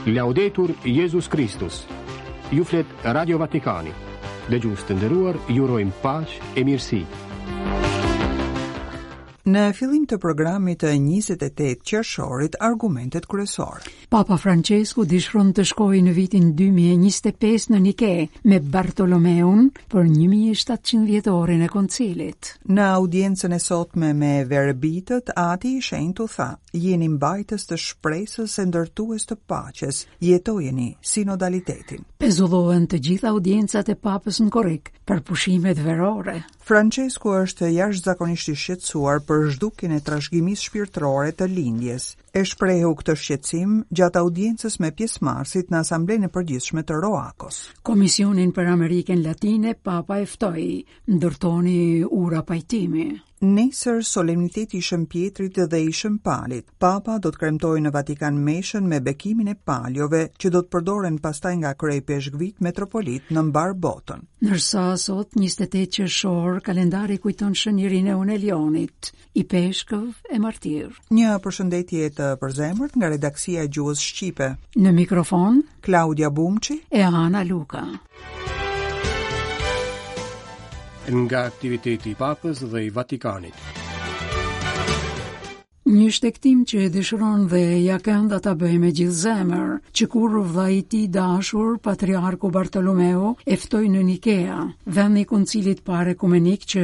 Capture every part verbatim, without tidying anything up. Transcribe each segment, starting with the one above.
Laudetur Jezus Kristus. Ju flet Radio Vatikani. Dëgjues të nderuar, ju urojmë paqe e mirësi. Në fillim të programit të njëzet e tetë qershorit, argumentet kryesore. Papa Francesku dëshiron të shkojë në vitin dy mijë e njëzet e pesë në Nike me Bartolomeun për një mijë e shtatëqind vjetorin e koncilit. Në audiencën e sotme me verbitët, Ati i Shenjtë u tha: "Jeni mbajtës të shpresës e ndërtues të paqes, jetojeni sinodalitetin." Pezullohen të gjitha audiencat e papës në korrik për pushimet verore. Francesku është jashtëzakonisht i shqetësuar për zhdukjen e trashëgimisë shpirtërore të lindjes. E shprehu këtë shqetësim gjatë audiencës me pjesëmarrësit në Asamblenë e Përgjithshme të Roakos. Komisionin për Amerikën Latine Papa e ftoi: "Ndërtoni ura pajtimi." Nesër solemniteti i Shën Pietrit dhe i Shën Palit. Papa do të kremtojë në Vatikan meshën me bekimin e paljove, që do të përdoren pastaj nga kryeipeshkvit metropolit në mbar botën. Ndërsa sot, njëzet e tetë qershor, kalendari kujton Shën Irineun e Lionit, ipeshkëv e martir. Një përshëndetje të përzemërt nga redaksia e gjuhës shqipe. Në mikrofon Klaudia Bumçi e Ana Luka. Nga aktiviteti i Papës dhe i Vatikanit. Një shtegtim që e dëshiron dhe ja kënda ta bëjë me gjithë zemër, që kur vëllai i tij dashur, Patriarku Bartolomeo, e ftoi në Nikea, vendi i koncilit parë ekumenik që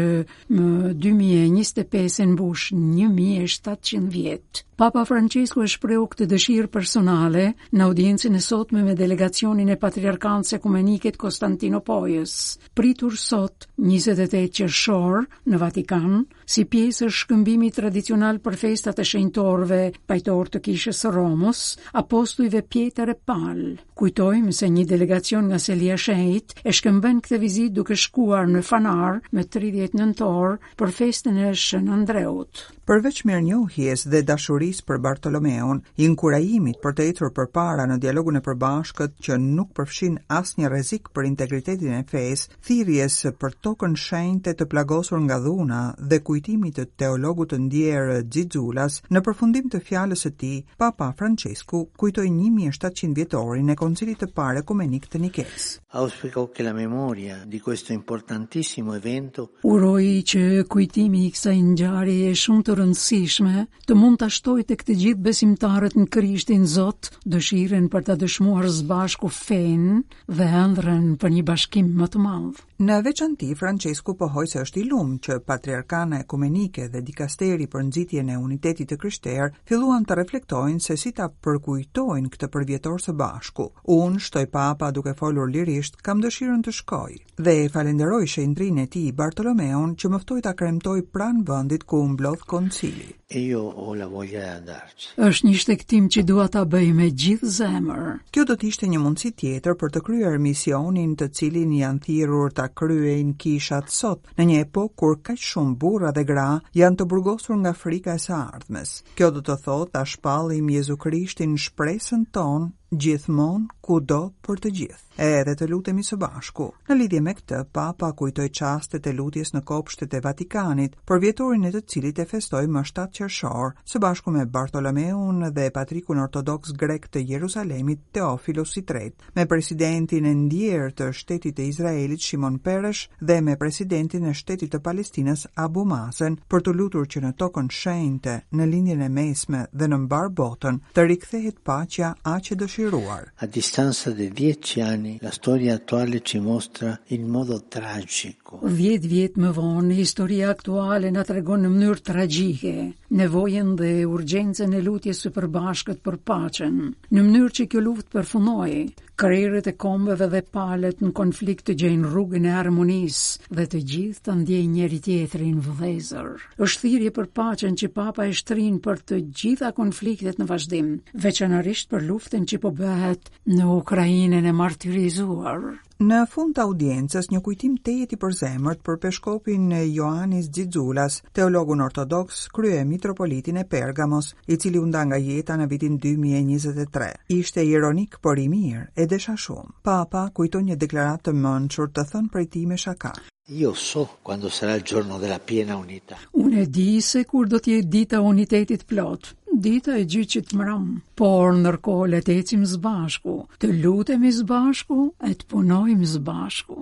më dy mijë e njëzet e pesë mbush një mijë e shtatëqind vjet. Papa Francesku e shprehu këtë dëshirë personale në audiencën e sotme me delegacionin e Patriarkanës Ekumenike të Konstantinopojës, pritur sot, njëzet e tetë qershor, në Vatikan, si pjesë e shkëmbimit tradicional për festat e shenjtorëve pajtor të Kishës së Romës, apostujve Pjetër e Pal. Kujtojmë se një delegacion nga Selia Shenjtë e shkëmben këtë vizitë duke shkuar në Fanar me tridhjetë nëntor për festën e Shën Andreut. Përveç mirënjohjes dhe dashurisë për Bartolomeun, inkurajimit për të ecur përpara në dialogun e përbashkët që nuk përfshin asnjë rrezik për integritetin e fesë, thirrjes për tokën shenjte të plagosur nga dhuna dhe kujtimit të teologut të ndjerë Xixulas, në përfundim të fjalës së tij, Papa Francesku kujtoi një mijë e shtatëqind vjetorin e Koncilit të Parë Ekumenik të Nikes. Auspico che la memoria di questo importantissimo evento Uroj që kujtimi i kësaj ngjarjeje shumë të rëndësishme të mund ta shtojë tek të gjithë besimtarët në Krishtin Zot dëshirën për ta dëshmuar së bashku fenë dhe ëndrrën për një bashkim më të madh. Në veçanti, Francesku pohoi se është i lumë që Patriarkana Ekumenike dhe dikasteri për nxitjen e unitetit të krishterë filluan të reflektojnë se si ta përkujtojnë këtë përvjetor së bashku. "Unë", shtoi Papa duke folur lirisht, "kam dëshirën të shkoj." Dhe e falenderoj shenjtrinë e tij Bartolomeun që më ftoi ta kremtoj pranë vendit ku u mblodh koncili. E io ho la voglia di andarci. Është një shtegtim që dua ta bëj me gjithë zemër. Kjo do të ishte një mundësi tjetër për të kryer misionin të cilin janë thirrur ta kryejnë kishat sot, në një epokë kur kaq shumë burra dhe gra janë të burgosur nga frika e së ardhmes. Kjo do të thotë ta shpallim Jezu Krishtin shpresën tonë gjithmonë, kudo, për të gjithë. Edhe të lutemi së bashku. Në lidhje me këtë, Papa kujtoi çastet e lutjes në kopshtet e Vatikanit, për vjetorin e të cilit e festoi më shtatë qershor, së bashku me Bartolomeun dhe patrikun ortodoks grek të Jerusalemit, Teofilos i Tretë, me presidentin e ndjerë të shtetit të Izraelit, Shimon Peres, dhe me presidentin e shtetit të Palestinës, Abu Mazen, për të lutur që në tokën shenjte, në Lindjen e Mesme dhe në mbar botën, të rikthehet paqja aq e dëshiruar. A distanza di dieci anni, la storia attuale ci mostra in modo tragico Dhjetë vjet më vonë, historia aktuale na tregon në mënyrë tragjike nevojën dhe urgjencën e lutjes së përbashkët për paqen, në mënyrë që kjo luftë përfundojë, krerët e kombeve dhe palët në konflikt të gjejnë rrugën e harmonisë dhe të gjithë të ndjejnë njëri tjetrin vëllezër. Është thirrje për paqen që Papa e shtrin për të gjitha konfliktet në vazhdim, veçanërisht për luftën që po bëhet në Ukrainën e martirizuar. Në fund të audiencës, një kujtim tejet i përzemërt për peshkopin Ioannis Xixulas, teologun ortodoks, krye mitropolitin e Pergamos, i cili u nda nga jeta në vitin dy mijë e njëzet e tre. "Ishte ironik, por i mirë, e desha shumë." Papa kujton një deklaratë të mençur të thënë prej tij me shaka. Io so quando sarà il giorno della piena unità. Unë e di se kur do të jetë dita e unitetit plot. Dita e gjyqit mram, por ndërkohë le të ecim së bashku, të lutemi së bashku e të punojmë së bashku.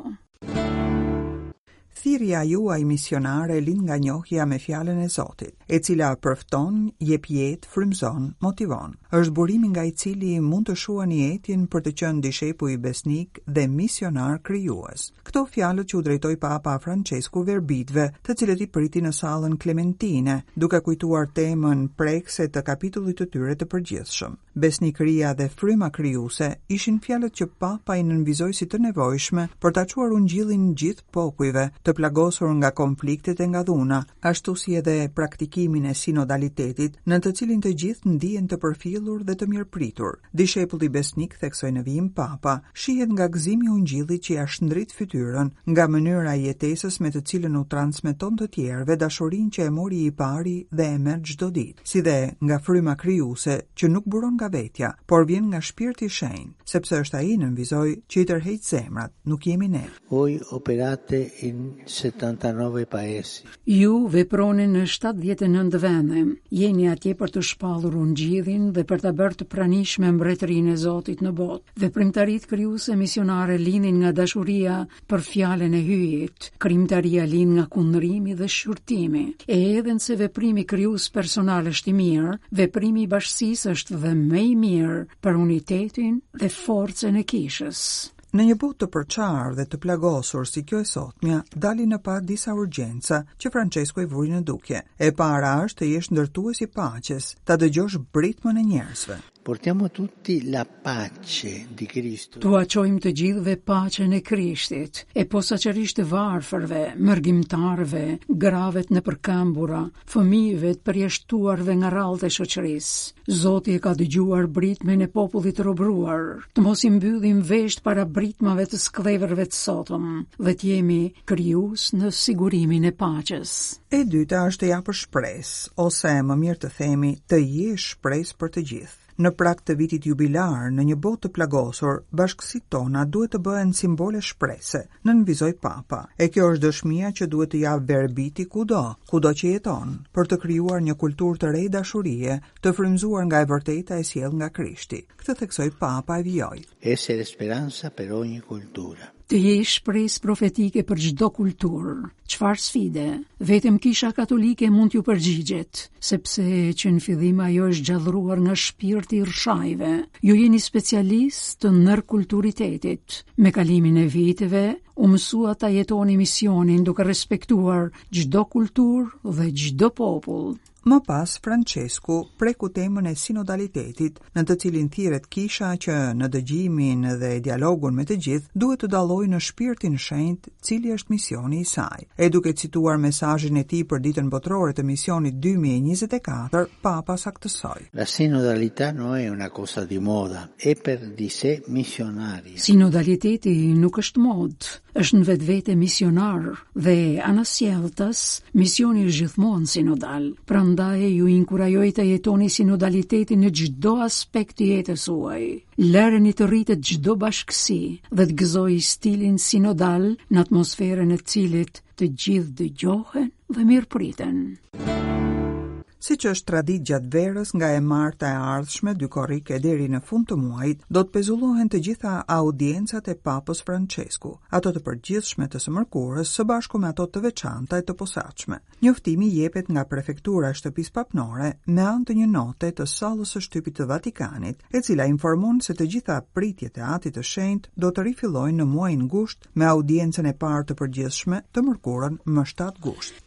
Thirrja juaj misionare lind nga njohja me fjalën e Zotit, e cila përfton, jep jetë, frymëzon, motivon. Është burimi nga i cili mund të shuani etjen për të qenë dishepuj besnik dhe misionar krijues. Këto fjalët që u drejtoi Papa Francesku verbitëve, të cilët i priti në sallën Klementine, duke kujtuar temën prekëse të kapitullit të tyre të përgjithshëm. Besnikëria dhe fryma krijuese ishin fjalët që Papa i nënvizoi si të nevojshme për ta çuar ungjillin gjithë popujve të plagosur nga konfliktet e nga dhuna, ashtu si edhe praktikimin e sinodalitetit, në të cilin të gjithë ndihen të përfillur dhe të mirëpritur. Dishepulli besnik, theksoi në vijim Papa, shihet nga gëzimi i ungjillit që ia shndrit fytyrën, nga mënyra e jetesës me të cilën u transmeton të tjerëve dashurinë që e mori i pari dhe e merr çdo ditë, si dhe nga fryma krijuese që nuk buron nga vetja, por vjen nga shpirti i shenjtë, sepse është ai, nënvizoi, që i tërheq zemrat, nuk jemi ne. Voi operate in settantanove paesi. Ju veproni në shtatëdhjetë e nëntë vende. Jeni atje për të shpallur ungjillin dhe për ta bërë të pranishme mbretërinë e Zotit në botë. Veprimtaritë krijuese misionare lindin nga dashuria për fjalën e Hyjit. Krijimtaria lind nga kundrimi dhe shqyrtimi. E edhe nëse veprimi krijues personal është i mirë, veprimi i bashkësisë është dhe më i mirë për unitetin dhe forcën e kishës. Në një botë të përçarë dhe të plagosur si kjo e sotmja, dalin në pah disa urgjenca që Francesco i vuri në dukje. E para është të jesh ndërtues i paqes, ta dëgjosh britmën e njerëzve. Portiamo tutti la pace di Cristo. Tua çojmë të gjithëve paqen e Krishtit, e posaçërisht të varfërve, mërgimtarëve, grave të nëpërkëmbura, fëmijëve të përjashtuarve nga rrallët e shoqërisë. Zoti e ka dëgjuar britmën e popullit të robëruar. Të mos i mbyllim vesht para britmave të skllevërve të sotëm dhe të jemi krijues në sigurimin e paqes. E dyta është të japësh shpresë, ose më mirë të themi, të jesh shpresë për të gjithë. Në prag të vitit jubilar, në një botë të plagosur, bashkësitë tona duhet të bëhen simbole shprese, nënvizoi Papa. E kjo është dëshmia që duhet të japë verbiti kudo, kudo që jeton, për të krijuar një kulturë të re dashurie, të frymëzuar nga e vërteta e sjellë nga Krishti. Këtë theksoi Papa e vijoi. Essere speranza per ogni cultura. Të jesh shpresë profetike për çdo kulturë. Çfarë sfide? Vetëm Kisha Katolike mund t'ju përgjigjet, sepse që në fillim ajo është gjallëruar nga shpirti i rrshajve. Ju jeni specialist të ndërkulturitetit. Me kalimin e viteve u mësua ta jetoni misionin duke respektuar çdo kulturë dhe çdo popull. Më pas, Francesku preku temën e sinodalitetit, në të cilin thirret kisha që në dëgjimin dhe dialogun me të gjithë duhet të dallojë në shpirtin shenjt cili është misioni i saj. E duke cituar mesazhin e tij për ditën botërore të misionit dy mijë e njëzet e katër, Papa saktësoi: La sinodalità non è una cosa di moda, è per di sé missionaria. Sinodaliteti nuk është modë, është në vetvete misionar dhe anasjelltas, misioni është gjithmonë sinodal. Prandaj ju inkurajoj të jetoni sinodalitetin në çdo aspekt të jetës suaj. Lëreni të rritet çdo bashkësi dhe të gëzojë stilin sinodal në atmosferën e cilit të gjithë dëgjohen dhe mirëpriten. Si që është traditë gjatë verës, nga e marta e ardhshme, dy korrik e deri në fund të muajit, do të pezullohen të gjitha audiencat e Papës Francesku, ato të përgjithshme të së mërkurës, së bashku me ato të veçanta e të posaçme. Njoftimi jepet nga prefektura e shtëpisë papnore me anë të një note të sallës së shtypit të Vatikanit, e cila informon se të gjitha pritjet e Atit të Shenjtë do të rifillojnë në muajin gusht me audiencën e parë të përgjithshme të mërkurën më shtatë gusht.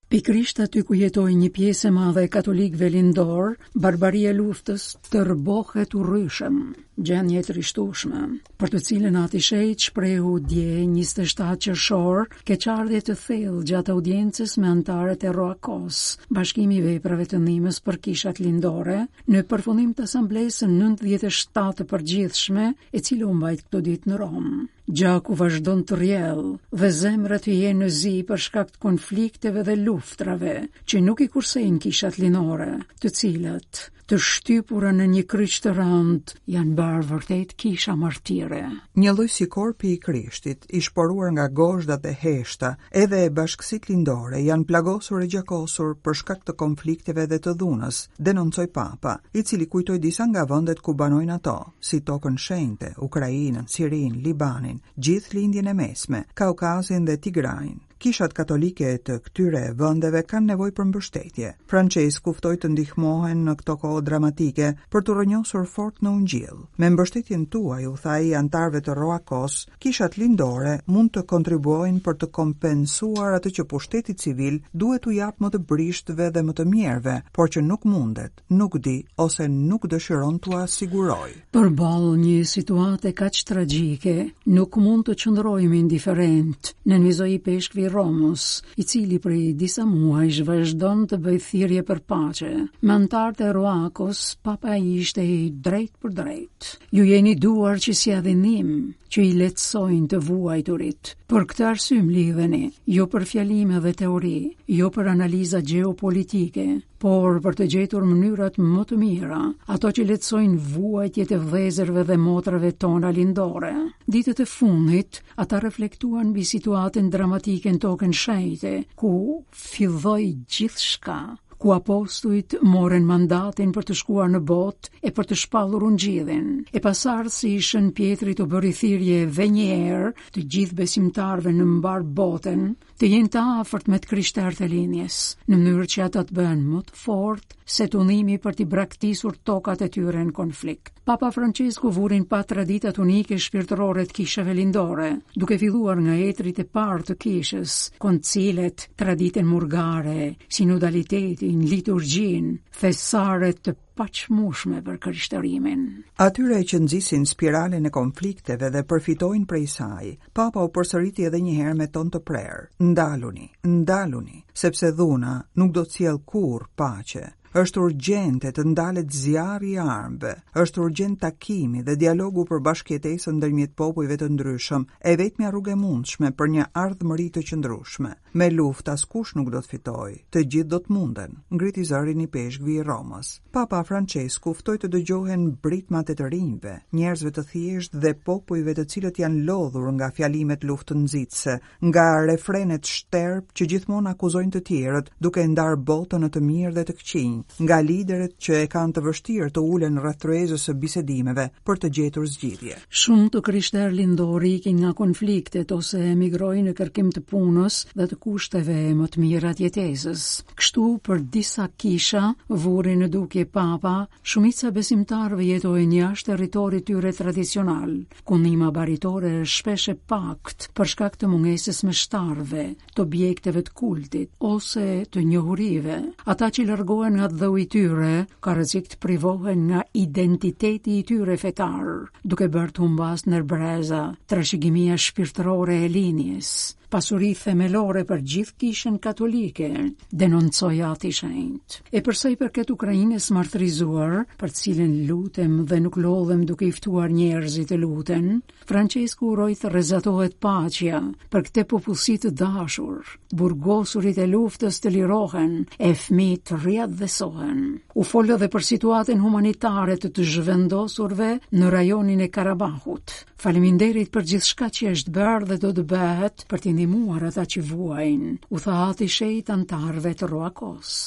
Pikërisht aty ku jetoi një pjesë e madhe e katolikëve lindor, barbaria e luftës tërbohet urryshëm, gjendje e trishtueshme, për të cilën Ati Shenjt shprehu dje njëzet e shtatë qershor keqardhje të thellë gjatë audiencës me anëtarët e Roakos, Bashkimi i Veprave të Ndihmës për Kishat Lindore, në përfundim të asamblesë së nëntëdhjetë e shtatë të përgjithshme, e cila u mbajt këto ditë në Romë. Gjaku vazhdon të rrjell dhe zemrat të jenë në zi për shkak të konflikteve dhe luftrave që nuk i kursejnë kishat lindore, të cilat të shtypura në një kryq të rëndë, janë bërë vërtet kisha martire. Një lloj si korpi i Krishtit, i shporuar nga gozhdat e heshta, edhe bashkësitë lindore janë plagosur e gjakosur për shkak të konflikteve dhe të dhunës, denoncoi Papa, i cili kujtoi disa nga vendet ku banojnë ato, si Tokën Shenjte, Ukrainën, Sirinë, Libanin, gjithë Lindjen e Mesme, Kaukazin dhe Tigrain. Kishat katolike të këtyre vendeve kanë nevojë për mbështetje. Francesku ftoi të ndihmohen në këto kohë dramatike për të rrënjosur fort në Ungjillë. Me mbështetjen tuaj, u tha ai anëtarëve të Roakos, kishat lindore mund të kontribuojnë për të kompensuar atë që pushteti civil duhet t'u japë më të brishtëve dhe më të mjerëve, por që nuk mundet, nuk di ose nuk dëshiron t'ua sigurojë. Përballë një situate kaq tragjike, nuk mund të qëndrojmë indiferent, nënvizoi ipeshkvi i Romës, i cili prej disa muajsh vazhdon të bëjë thirrje për paqe. Me anëtarët e Roakos, Papa ishte i drejt për drejt. Ju jeni duar që sjellin ndihmë, që i lehtësojnë të vuajturit. Për këtë arsye mblidheni, jo për fjalime dhe teori, jo për analiza gjeopolitike, por për të gjetur mënyrat më të mira, ato që lehtësojnë vuajtjet e vëllezërve dhe motrave tona lindore. Ditët e fundit, ata reflektuan mbi situatën dramatike në Tokën Shenjte, ku filloi gjithçka, ku apostujt morën mandatin për të shkuar në botë e për të shpallur ungjillin. E pasardhësi i Shën Pjetrit u bëri thirrje edhe një herë të gjithë besimtarëve në mbar botën të jenë të afërt me të krishterët e linjës, në mënyrë që ata të bëhen më të fortë se tundimi për t'i braktisur tokat e tyre në konflikt. Papa Francesku vuri në pah traditat unike shpirtërore të kishave lindore, duke filluar nga etrit e parë të kishës, koncilet, traditën murgare, sinodalitetin, liturgjinë, thesaret të paçmueshme për krishtërimin. Atyre që nxisin spiralen e konflikteve dhe përfitojnë prej saj, Papa u përsëriti edhe një herë me ton të prerë: ndaluni, ndaluni, sepse dhuna nuk do të sjellë kurrë paqe. Është urgjente të ndalet zjarri i armëve, është urgjent takimi dhe dialogu për bashkëjetesën ndërmjet popujve të ndryshëm, e vetmja rrugë e mundshme për një ardhmëri të qëndrueshme. Me luftë askush nuk do të fitojë, të gjithë do të munden, ngriti zërin ipeshkvi i Romës. Papa Francesku ftoi të dëgjohen britmat e të rinjve, njerëzve të thjeshtë dhe popujve të cilët janë lodhur nga fjalimet luftënxitëse, nga refrenet shterp që gjithmonë akuzojnë të tjerët, duke ndarë botën në të mirë dhe të këqinj, nga liderët që e kanë të vështirë të ulen rreth tryezës së bisedimeve për të gjetur zgjidhje. Shumë të krishterë lindorë ikin nga konfliktet ose emigrojnë në kërkim të punës dhe të kushteve më të mira të jetesës. Kështu, për disa kisha, vuri në dukje Papa, shumica besimtarëve jetojnë jashtë territorit tyre tradicional, ku ndihma baritore është shpesh e paktë për shkak të mungesës meshtarëve, të objekteve të kultit ose të njohurive. Ata që largohen nga dheu i tyre, ka rrezik të privohen nga identiteti i tyre fetar, duke bërë të humbas në breza trashëgimia shpirtërore e linjës, pasuri themelore për gjithë kishën katolike, denoncoi Ati Shenjt. E përsa i përket Ukrainës martirizuar, për cilën lutem dhe nuk lodhem duke i ftuar njerëzit të luten, Francesku uroi të rrezatohet paqja për këtë popullsi të dashur, burgosurit e luftës të lirohen, e fëmijët të riatdhesohen. U fol edhe për situatën humanitare të të zhvendosurve në rajonin e Karabahut. Faleminderit për gjithçka që është bërë dhe do të bëhet për t'i ndihmuar ata që vuajnë, u tha Ati Shenjt anëtarëve të Roakos.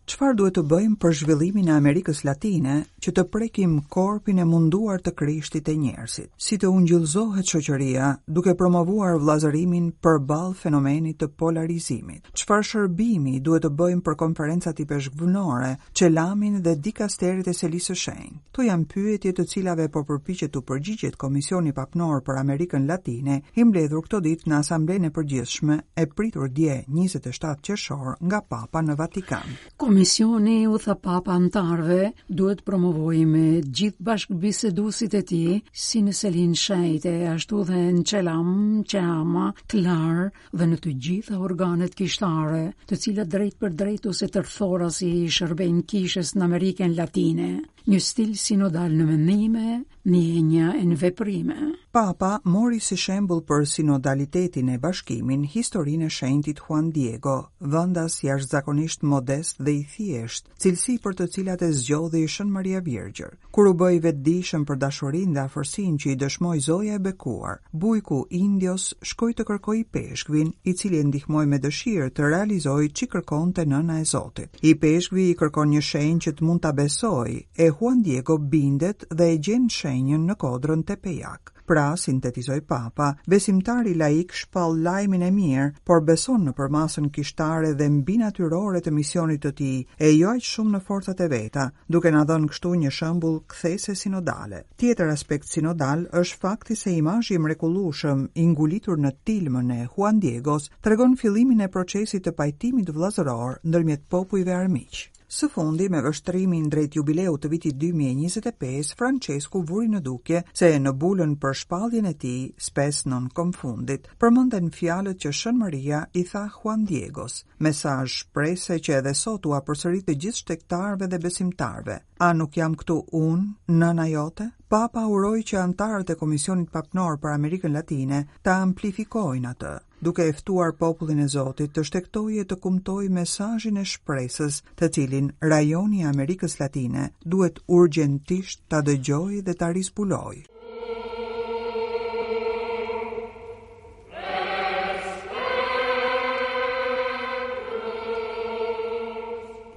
Çfarë duhet të bëjmë për zhvillimin e Amerikës Latine që të prekim korpin e munduar të Krishtit e njerëzit? Si të ungjillzohet shoqëria duke promovuar vëllazërimin përballë fenomenit të polarizimit? Çfarë shërbimi duhet të bëjmë për konferencat ipeshkvnore, Çelamin dhe dikasterit e Selisë së Shenjtë? Këto janë pyetje të cilave po përpiqet t'u përgjigjet Komisioni Papnor për Amerikën Latine, i mbledhur këto ditë në Asamblenë e Përgjithshme e pritur dje njëzet e shtatë qershor nga Papa në Vatikan. Komisioni, u tha Papa anëtarëve, duhet promovojë me gjithë bashkëbiseduesit e tij, si në Selinë Shenjte, ashtu dhe në Çelam, Çeama, Klar dhe në të gjitha organet kishtare, të cilat drejt për drejt ose tërthorasi i shërbejnë kishës në Amerikën Latine. Një stil sinodal në mendime, ndjenja e në veprime. Papa mori si shembull për sinodalitetin e bashkimin historinë e shenjtit Juan Diego, vendas jashtëzakonisht modest dhe i thjeshtë, cilësi për të cilat e zgjodhi Shën Maria Virgjër. Kur u bë i vetëdijshëm për dashurinë dhe afërsinë që i dëshmoi Zoja e Bekuar, bujku Indios shkoi të kërkojë ipeshkvin, i cili e ndihmoi me dëshirë të realizojë ç'i kërkonte nëna e Zotit. Ipeshkvi i kërkon një shenjë që të mund ta besojë, e Juan Diego bindet dhe e gjen shenjën në kodrën Tepeyac. Pra, sintetizoi Papa, besimtari laik shpall lajmin e mirë, por beson në përmasën kishtare dhe mbinatyrore të misionit të tij, e jo aq shumë në forcat e veta, duke na dhënë kështu një shembull kthese sinodale. Tjetër aspekt sinodal është fakti se imazhi i mrekullueshëm i ngulitur në tilmën e Juan Diegos tregon fillimin e procesit të pajtimit vëllazëror ndërmjet popujve armiq. Së fundi, me vështrimin drejt jubileut të vitit dy mijë e njëzet e pesë, Francesku vuri në dukje se në bulën për shpalljen e tij, Spes non confundit, përmenden fjalët që Shën Maria i tha Juan Diegos, mesazh shprese që edhe sot ua përsërit të gjithë shtegtarëve dhe besimtarëve. A nuk jam këtu unë, nëna jote? Papa uroi që anëtarët e Komisionit Papnor për Amerikën Latine ta amplifikojnë atë, duke e ftuar popullin e Zotit të shtegtojë e të kumtojë mesazhin e shpresës, të cilin rajoni i Amerikës Latine duhet urgjentisht ta dëgjojë dhe ta rizbulojë.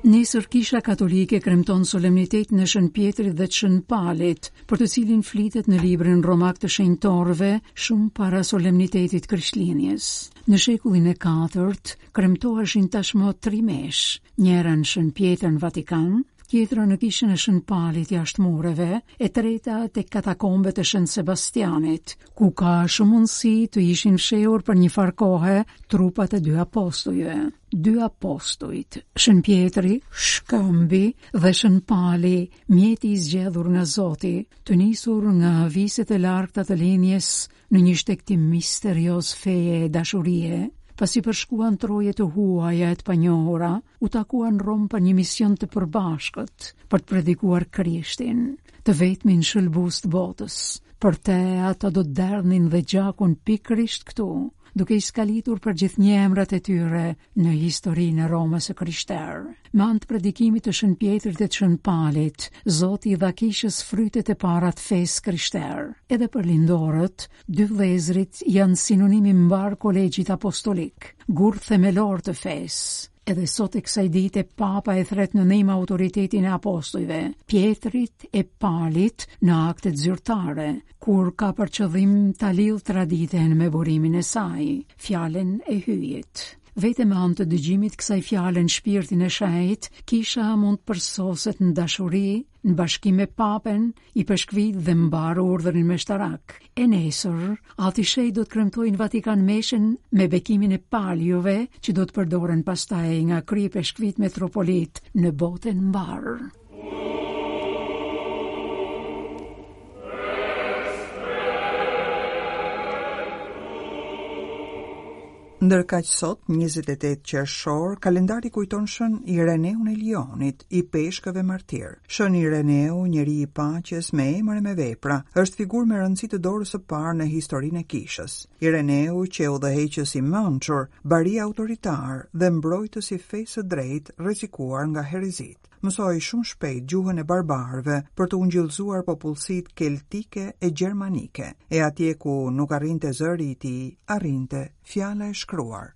Nesër Kisha Katolike kremton solemnitetin e Shën Pjetrit dhe të Shën Palit, për të cilin flitet në librin romak të shenjtorëve shumë para solemnitetit Krishtlindjes. Në shekullin e katërt kremtoheshin tashmë tri mesh, njëra në Shën Pjetër në Vatikan, tjetra në kishën e Shën Palit jashtë mureve, e treta tek katakombet e Shën Sebastianit, ku ka shumë mundësi të ishin fshehur për një farë kohe trupat e dy apostujve. Dy apostujt, Shën Pjetri, Shkëmbi dhe Shën Pali, mjeti i zgjedhur nga Zoti, të nisur nga viset e largëta të linjës në një shtegtim misterioz feje e dashurie, pasi përshkuan troje të huaja e të panjohura, u takuan në Romë për një mision të përbashkët, për të predikuar Krishtin, të vetmin shëlbues të botës. Për te ata do të derdhnin dhe gjakun pikërisht këtu, duke i skalitur për gjithnjë emrat e tyre në historinë e Romës së krishterë. Me anë të predikimit të Shën Pjetrit dhe të Shën Palit, Zoti i dha kishës frytet e para të fesë krishterë. Edhe për lindorët, dy vëllezërit janë sinonimi mbar kolegjit apostolik, gur themelor të fesë. Edhe sot e kësaj dite Papa e thret në ndihmë autoritetin e apostujve, Pjetrit e Palit në aktet zyrtare, kur ka për qëllim ta lidh traditën me burimin e saj, fjalën e hyjit. Vetëm me anë të dëgjimit kësaj fjale në shpirtin e shenjtë, kisha mund të përsoset në dashuri, në bashkim me Papen, i peshkvit dhe mbar urdhrin meshtarak. E nesër, Ati Shej do të kremtojë në Vatikan meshën me bekimin e paljove që do të përdoren pastaj nga kryepeshkvit metropolit në botën mbar. Ndërkaq sot, njëzet e tetë qershor, kalendari kujton Shën Ireneun e Lionit, i peshkëve martir. Shën Ireneu, njeri i paqes me emër e me vepra, është figurë me rëndësi të dorës së parë në historinë e kishës. Ireneu qe udhëheqës i mençur, bari autoritar dhe mbrojtës i fesë së drejtë, rrezikuar nga herezit. Mësoi shumë shpejt gjuhën e barbarëve për të ungjillzuar popullsitë keltike e gjermanike, e atje ku nuk arrinte zëri i tij, arrinte fjala e shkruar.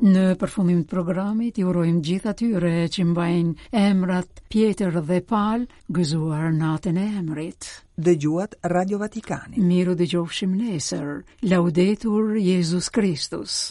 Në përfundim të programit i urojmë gjithë atyre që mbajnë emrat Pjetër dhe Pal, gëzuar natën e emrit. Dëgjuat Radio Vatikani. Miru dëgjofshim nesër. Laudetur Jezus Kristus.